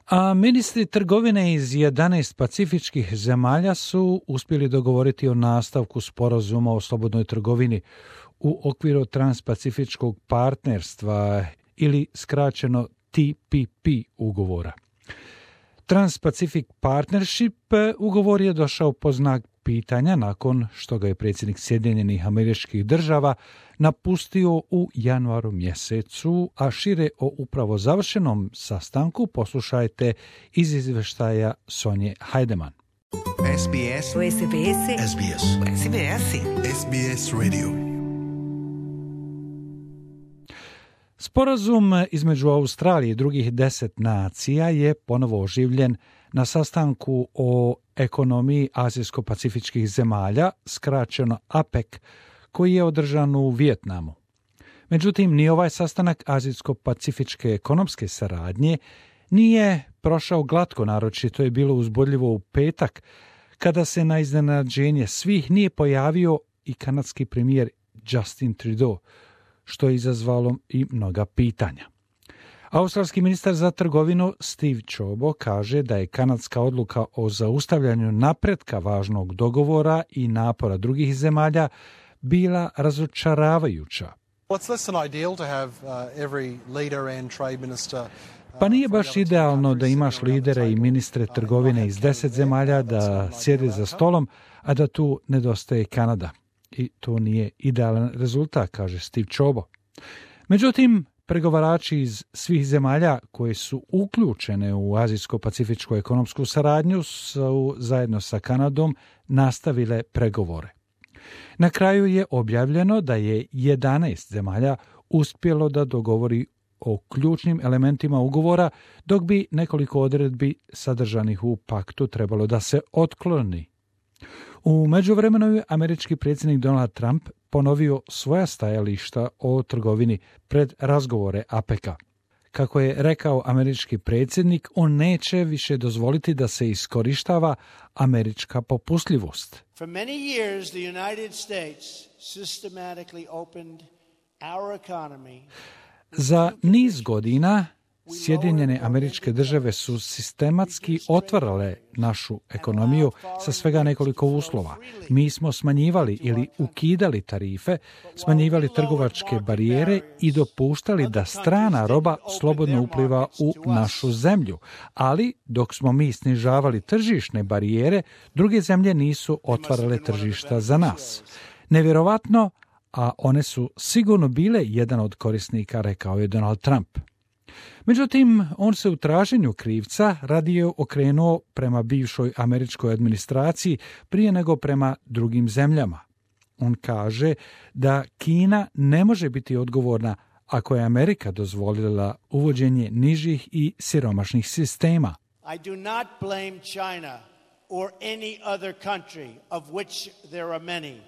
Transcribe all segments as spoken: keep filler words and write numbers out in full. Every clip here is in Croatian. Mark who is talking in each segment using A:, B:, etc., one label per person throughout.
A: A ministri trgovine iz jedanaest pacifičkih zemalja su uspjeli dogovoriti o nastavku sporazuma o slobodnoj trgovini u okviru transpacifičkog partnerstva ili skraćeno T P P ugovora. Trans-Pacific Partnership ugovor je došao po znak pitanja nakon što ga je predsjednik Sjedinjenih Američkih Država napustio u januaru mjesecu, a šire o upravo završenom sastanku poslušajte iz izvještaja Sonje Hajdeman.
B: S B S. S B S. S B S. S B S. S B S Radio.
A: Sporazum između Australije i drugih deset nacija je ponovo oživljen na sastanku o ekonomiji azijsko-pacifičkih zemalja, skraćeno A P E C, koji je održan u Vijetnamu. Međutim, ni ovaj sastanak azijsko-pacifičke ekonomske saradnje nije prošao glatko, naročito je bilo uzbudljivo u petak, kada se na iznenađenje svih nije pojavio i kanadski premijer Justin Trudeau, što je izazvalo i mnoga pitanja. Australski ministar za trgovinu Steve Ciobo kaže da je kanadska odluka o zaustavljanju napretka važnog dogovora i napora drugih zemalja bila razočaravajuća. Pa nije baš idealno da imaš lidere i ministre trgovine iz deset zemalja da sjede za stolom, a da tu nedostaje Kanada. I to nije idealan rezultat, kaže Steve Ciobo. Međutim, pregovarači iz svih zemalja koje su uključene u azijsko-pacifičku ekonomsku saradnju su zajedno sa Kanadom nastavile pregovore. Na kraju je objavljeno da je jedanaest zemalja uspjelo da dogovori o ključnim elementima ugovora, dok bi nekoliko odredbi sadržanih u paktu trebalo da se otkloni. U međuvremenu je američki predsjednik Donald Trump ponovio svoja stajališta o trgovini pred razgovore A P E C-a. Kako je rekao američki predsjednik, on neće više dozvoliti da se iskorištava američka popustljivost.
C: For many years the United States systematically opened our economy.
A: Za niz godina Sjedinjene Američke Države su sistematski otvarale našu ekonomiju sa svega nekoliko uslova. Mi smo smanjivali ili ukidali tarife, smanjivali trgovačke barijere i dopuštali da strana roba slobodno upliva u našu zemlju. Ali dok smo mi snižavali tržišne barijere, druge zemlje nisu otvarale tržišta za nas. Nevjerovatno, a one su sigurno bile jedan od korisnika, rekao je Donald Trump. Međutim, on se u traženju krivca radije okrenuo prema bivšoj američkoj administraciji prije nego prema drugim zemljama. On kaže da Kina ne može biti odgovorna ako je Amerika dozvolila uvođenje nižih i siromašnih sistema.
C: I do not blame China or any other country of which there are many.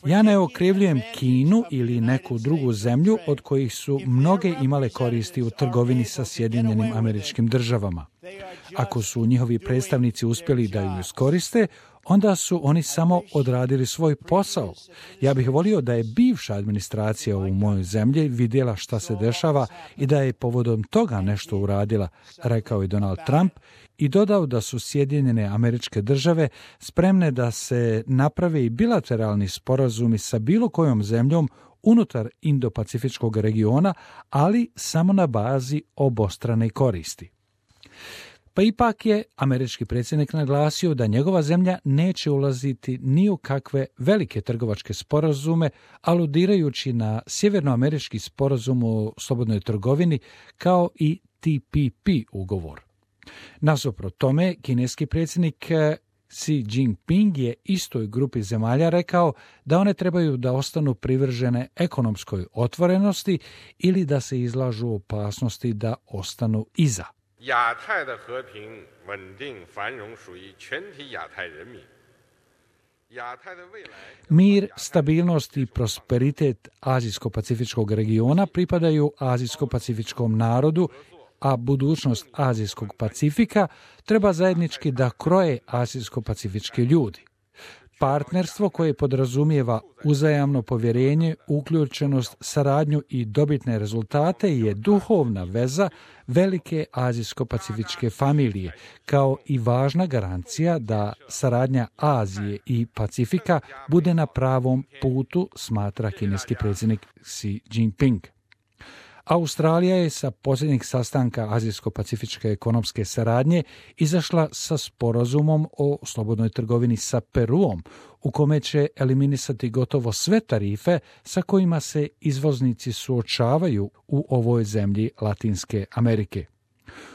A: Ja ne okrivljujem Kinu ili neku drugu zemlju od kojih su mnoge imale koristi u trgovini sa Sjedinjenim Američkim Državama. Ako su njihovi predstavnici uspjeli da ju iskoriste, onda su oni samo odradili svoj posao. Ja bih volio da je bivša administracija u mojoj zemlji vidjela šta se dešava i da je povodom toga nešto uradila, rekao je Donald Trump, i dodao da su Sjedinjene Američke Države spremne da se naprave i bilateralni sporazumi sa bilo kojom zemljom unutar Indo-Pacifičkog regiona, ali samo na bazi obostrane koristi. Pa ipak je američki predsjednik naglasio da njegova zemlja neće ulaziti ni u kakve velike trgovačke sporazume, aludirajući na sjevernoamerički sporazum o slobodnoj trgovini kao i T P P ugovor. Nasuprot tome, kineski predsjednik Xi Jinping je istoj grupi zemalja rekao da one trebaju da ostanu privržene ekonomskoj otvorenosti ili da se izlažu opasnosti da ostanu iza. Mir, stabilnost i prosperitet azijsko-pacifičkog regiona pripadaju azijsko-pacifičkom narodu, a budućnost Azijskog Pacifika treba zajednički da kroje azijsko-pacifički ljudi. Partnerstvo koje podrazumijeva uzajamno povjerenje, uključenost, saradnju i dobitne rezultate je duhovna veza velike azijsko-pacifičke familije, kao i važna garancija da saradnja Azije i Pacifika bude na pravom putu, smatra kineski predsjednik Xi Jinping. Australija je sa posljednjeg sastanka Azijsko-pacifičke ekonomske saradnje izašla sa sporazumom o slobodnoj trgovini sa Peruom, u kome će eliminisati gotovo sve tarife sa kojima se izvoznici suočavaju u ovoj zemlji Latinske Amerike.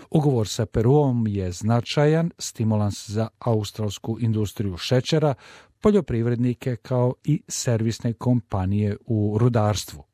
A: Ugovor sa Peruom je značajan stimulans za australsku industriju šećera, poljoprivrednike kao i servisne kompanije u rudarstvu.